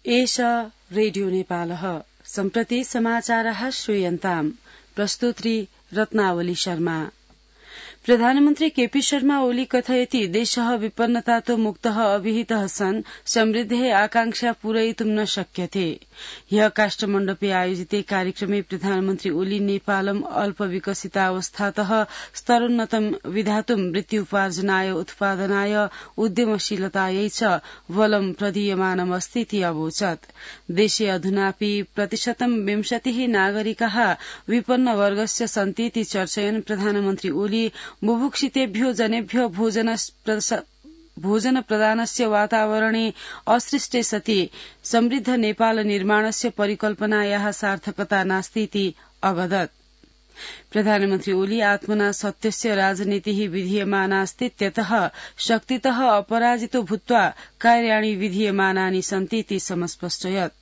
एषा रेडियो नेपालः सम्प्रति समाचारः श्रूयन्ताम् प्रस्तुत्री रत्नावली शर्मा। प्रधानमन्त्री केपी शर्मा ओली कथयति देशः विपन्नतातो मुक्तः अभिहितः सन् समृद्धेः आकांक्षा पूरयितुं न शक्यते। ह्यः काष्ठमण्डपे आयोजिते कार्यक्रमे प्रधानमन्त्री ओली नेपालम् अल्पविकसितावस्थातः स्तरोन्नतं विधातुं वृत्त्युपार्जनाय उत्पादनाय उद्यमशीलतायै च बलं प्रदीयमानमस्तीति अवोचत्। देशे अधुनापि 20% नागरिकाः विपन्नवर्गस्य सन्तीति चर्चयन् प्रधानमन्त्री ओली बुभुक्षितेभ्यो जनेभ्यो भोजन प्रदानस्य वातावरणे असृष्टे सति समृद्ध नेपाल निर्माणस्य परिकल्पनायाः सार्थकता नास्तीति अवदत्। प्रधानमन्त्री ओली आत्मना सत्यस्य राजनीतिः विधीयमानास्तीत्यतः शक्तितः अपराजितो भूत्वा कार्याणि विधीयमानानि सन्तीति समस्पष्टयत्।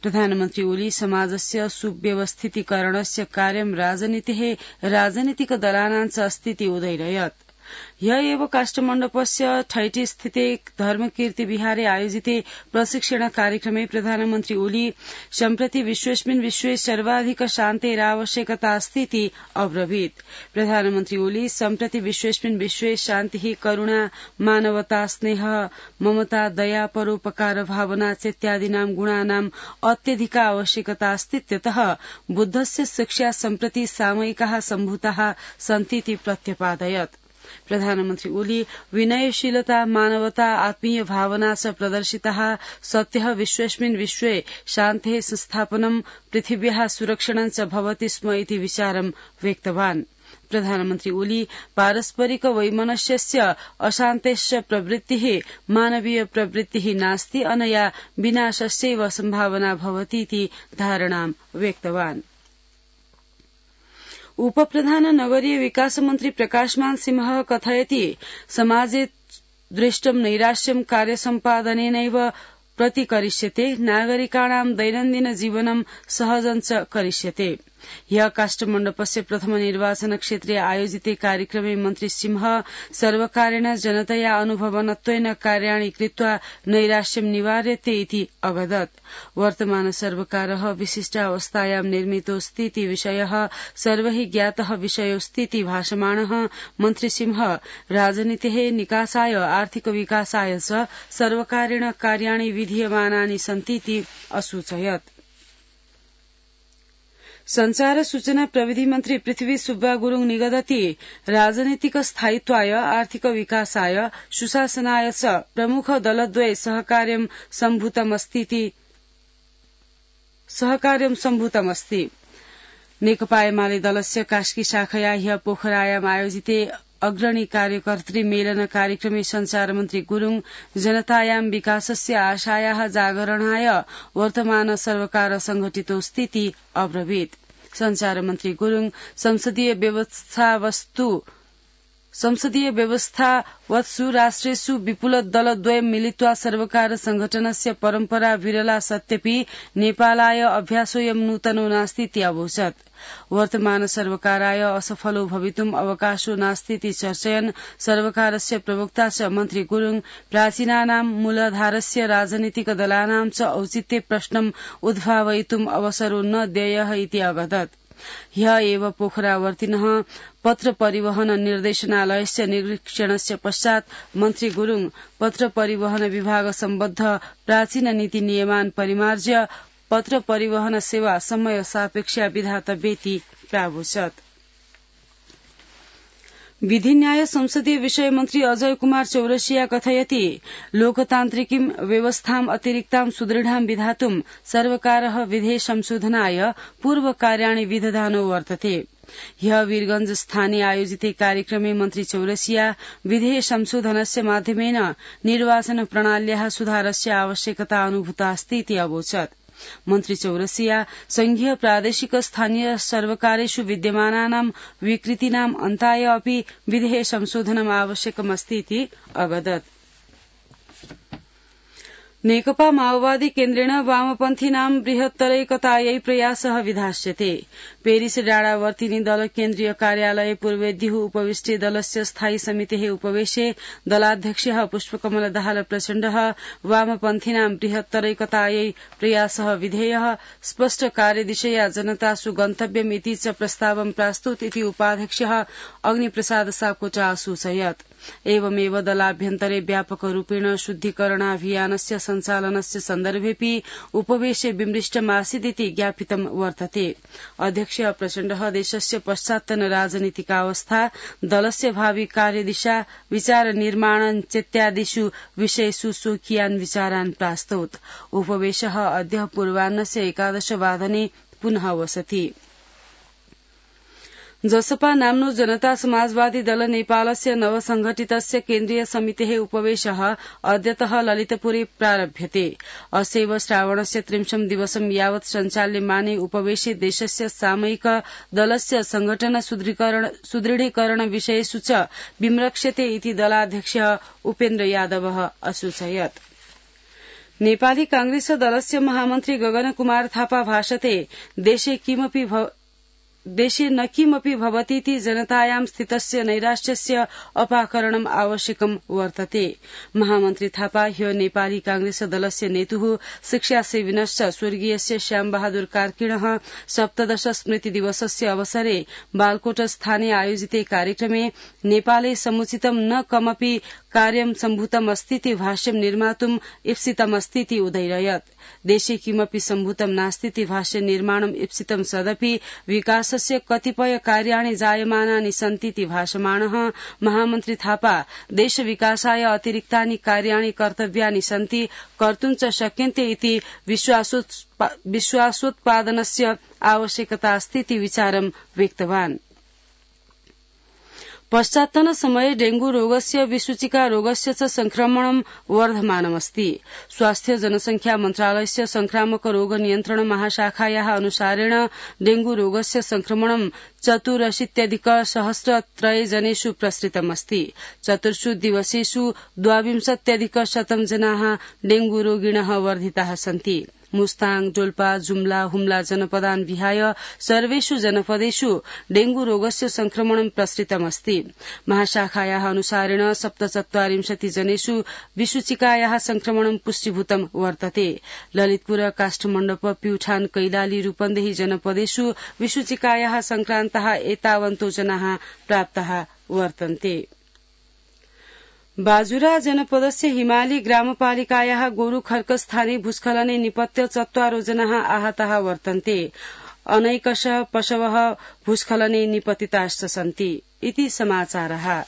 प्रधानमन्त्री ओली समाजस्य सुव्यवस्थितीकरणस्य कार्यं राजनीतेः राजनीतिकदलानां च अस्तीति उदयरयत्। ह्यः एव काष्ठमण्डपस्य ठैटी स्थिते धर्मकीर्ति विहारे आयोजिते प्रशिक्षण कार्यक्रमे प्रधानमन्त्री ओली सम्प्रति विश्वेस्मिन् विश्वे सर्वाधिक शान्तेरावश्यकता अस्तीति अब्रवीत्। प्रधानमन्त्री ओली सम्प्रति विश्वेस्मिन् विश्वे शान्तिः करुणा मानवता स्नेहः ममता दया परोपकार भावना चेत्यादीनां गुणानाम् अत्यधिका आवश्यकता अस्तीत्यतः बुद्धस्य शिक्षा सम्प्रति सामयिकाः सम्भूताः सन्तीति प्रत्यपादयत्। प्रधानमन्त्री ओली विनयशीलता मानवता आत्मीय भावना च प्रदर्शिताः सत्यः विश्वेस्मिन् विश्वे शान्तेः संस्थापनं पृथिव्याः सुरक्षणं च भवति स्म इति विचारं व्यक्तवान्। प्रधानमन्त्री ओली पारस्परिक वैमनस्यस्य अशान्तेश्च प्रवृत्तिः मानवीय प्रवृत्तिः नास्ति अनया विनाशस्यैव सम्भावना भवतीति धारणां व्यक्तवान्। उपप्रधान नगरीय विकास मन्त्री प्रकाशमान सिंहः कथयति समाजे दृष्टं नैराश्यं कार्यसम्पादनेनैव प्रतिकरिष्यते नागरिकाणां दैनन्दिन जीवनं सहजं च करिष्यते। ह्यः काष्ठमण्डपस्य प्रथम निर्वाचन क्षेत्रे आयोजिते कार्यक्रमे मन्त्री सिंह सर्वकारेण जनतया अनुभवनत्वेन कार्याणि कृत्वा नैराश्यं निवार्यते इति अवदत्। वर्तमान सर्वकारः विशिष्टावस्थायां निर्मितोऽस्तीति विषयः सर्वैः ज्ञातः विषयोऽस्तीति भाषमाणः मन्त्री सिंह राजनीतेः निकासाय आर्थिक विकासाय च सर्वकारेण कार्याणि विधीयमानानि सन्तीति असूचयत्। संचार सूचना प्रविधि मन्त्री पृथ्वी सुब्बा गुरुङ निगदति राजनीतिक स्थायित्वाय आर्थिक विकासाय सुशासनाय च प्रमुख दलद्वये सहकार्यं सम्भूतमस्ति। नेकपा एमाले दलस्य कास्की शाखया ह्यः पोखरायाम् आयोजिते अग्रणी कार्यकर्त्री मेलन कार्यक्रमे संचार मन्त्री गुरुङ जनतायां विकासस्य आशायाः जागरणाय वर्तमान सर्वकार संघटितोऽस्तीति अब्रवीत्। संचार मन्त्री गुरुङ संसदीय व्यवस्थावत्सु राष्ट्रेषु विपुल दलद्वयं मिलित्वा सर्वकार संघटनस्य परम्परा विरला सत्यपि नेपालाय अभ्यासोऽयं नूतनो नास्तीति अवोचत्। वर्तमान सर्वकाराय असफलो भवितुम् अवकाशो नास्तीति चर्चयन् सर्वकारस्य प्रवक्ता च मन्त्री गुरुङ प्राचीनानां मूलाधारस्य राजनीतिक दलानां च औचित्य प्रश्नम् उद्भावयितुम् अवसरो न देयः इति अवदत्। ह्यः एव पोखरावर्तिनः पत्र परिवहन निर्देशनालयस्य निरीक्षणस्य पश्चात् मन्त्री गुरुङ पत्र परिवहन विभाग सम्बद्ध प्राचीन नीति नियमान् परिमार्ज्य पत्र परिवहन सेवा समय सापेक्षा विधातव्येति प्रावोचत्। विधि न्याय संसदीय विषय मन्त्री अजय कुमार चौरसिया कथयति लोकतान्त्रिकीं व्यवस्थाम् अतिरिक्तां सुदृढां विधातुं सर्वकारः विधेय संशोधनाय पूर्वकार्याणि विदधानो वर्तते। ह्यः वीरगंज स्थाने आयोजिते कार्यक्रमे मन्त्री चौरसिया विधेय संशोधनस्य माध्यमेन निर्वाचन प्रणाल्याः सुधारस्य आवश्यकता अनुभूतास्तीति अवोचत्। मन्त्री चौरसिया संघीय प्रादेशिक स्थानीय सर्वकारेषु विद्यमानानां विकृतीनाम् अन्ताय अपि विधेय संशोधनम् आवश्यकमस्तीति अवदत्। नेकपा माओवादी केन्द्रेण वामपन्थीनां बृहत्तरैकतायै प्रयासः विधास्यते। पेरिस डाँडावर्तिनी दल केन्द्रीय कार्यालये पूर्वेद्युः उपविष्टे दलस्य स्थायी समितेः उपवेशे दलाध्यक्षः पुष्पकमल दाहाल प्रचण्डः वामपन्थीनां बृहत्तरैकतायै प्रयासः विधेयः स्पष्ट कार्यदिशया जनतासु गन्तव्यमिति च प्रस्तावं प्रास्तुत इति उपाध्यक्षः अग्निप्रसाद सापकोटा असूचयत्। एवमेव दलाभ्यन्तरे व्यापकरूपेण शुद्धिकरणाभियानस्य सञ्चालनस्य सन्दर्भेऽपि उपवेशे विमृष्टमासीदिति ज्ञापितं वर्तते। अध्यक्ष प्रचण्डः देशस्य पश्चात्तन राजनीतिकावस्था, दलस्य भावि कार्यदिशा, विचार निर्माण चेत्यादिषु विषयेषु स्वकीयान् विचारान् प्रास्तौत्। उपवेशः अद्य पूर्वाह्नस्य 11 वादने पुनः वसति। जसपा नाम्नो जनता समाजवादी दल नेपालस्य नवसंघटितस्य केन्द्रीय समितेः उपवेशः अद्यतः ललितपुरे प्रारभ्यते। अस्यैव श्रावणस्य 30 दिवसं यावत् सञ्चाल्यमाने उपवेशे देशस्य सामयिक दलस्य संघटन सुदृढीकरण विषयेषु च विमृक्ष्यते इति दलाध्यक्षः उपेन्द्र यादवः असूचयत्। नेपाली कांग्रेस दलस्य महामन्त्री गगन कुमार थापा भाषते देशे न किमपि भवतीति जनतायां स्थितस्य नैराश्यस्य अपाकरणम् आवश्यकम् वर्तते। महामन्त्री थापा ह्यो नेपाली कांग्रेस दलस्य नेतुः शिक्षासेविनश्च स्वर्गीयस्य श्यामबहादुर कार्कीणः 17 स्मृति दिवसस्य अवसरे बालकोट स्थाने आयोजिते कार्यक्रमे नेपाले समुचितं न कमपि कार्यं सम्भूतम् अस्तीति भाष्यं निर्मातुम् ईप्सितमस्तीति उदैरयत्। देशे किमपि सम्भूतं नास्तीति भाष्य निर्माणम् ईप्सितं सदपि विकासस्य कतिपय कार्याणि जायमानानि सन्तीति भाषमाणः महामन्त्री थापा देश विकासाय अतिरिक्तानि कार्याणि कर्तव्यानि सन्ति, कर्तुं च शक्यन्ते इति विश्वासोत्पादनस्य आवश्यकता अस्तीति विचारं व्यक्तवान्। पश्चात्तन समये डेंगू रोगस्य विसूचिका रोगस्य च संक्रमणं वर्धमानमस्ति। स्वास्थ्य जनसंख्या मन्त्रालयस्य संक्रामक रोग नियन्त्रण महाशाखायाः अनुसारेण डेंगू रोगस्य संक्रमणं 84,100 जनेषु प्रसृतमस्ति। 4 दिवसेषु 22,100 जनाः डेंगू रोगिणः वर्धिताः सन्ति। मुस्ताङ, डोल्पा, जुम्ला, हुम्ला जनपदान् विहाय सर्वेषु जनपदेषु डेंगू रोगस्य संक्रमणं प्रसृतमस्ति। महाशाखायाः अनुसारेण 47 जनेषु विसूचिकायाः संक्रमणं पुष्टीभूतं वर्तते। ललितपुर, काष्ठमण्डप, प्युठान, कैलाली, रूपन्देही जनपदेषु विसूचिकायाः संक्रान्ताः एतावन्तो जनाः प्राप्ताः वर्तन्ते। बाजुरा जनपदस्य हिमाली ग्रामपालिकायाः गोरुखर्क स्थाने भूस्खलने निपत्य 4 जनाः आहताः वर्तन्ते। अनैकशः पशवः भूस्खलने निपतिताश्च सन्ति इति समाचारः।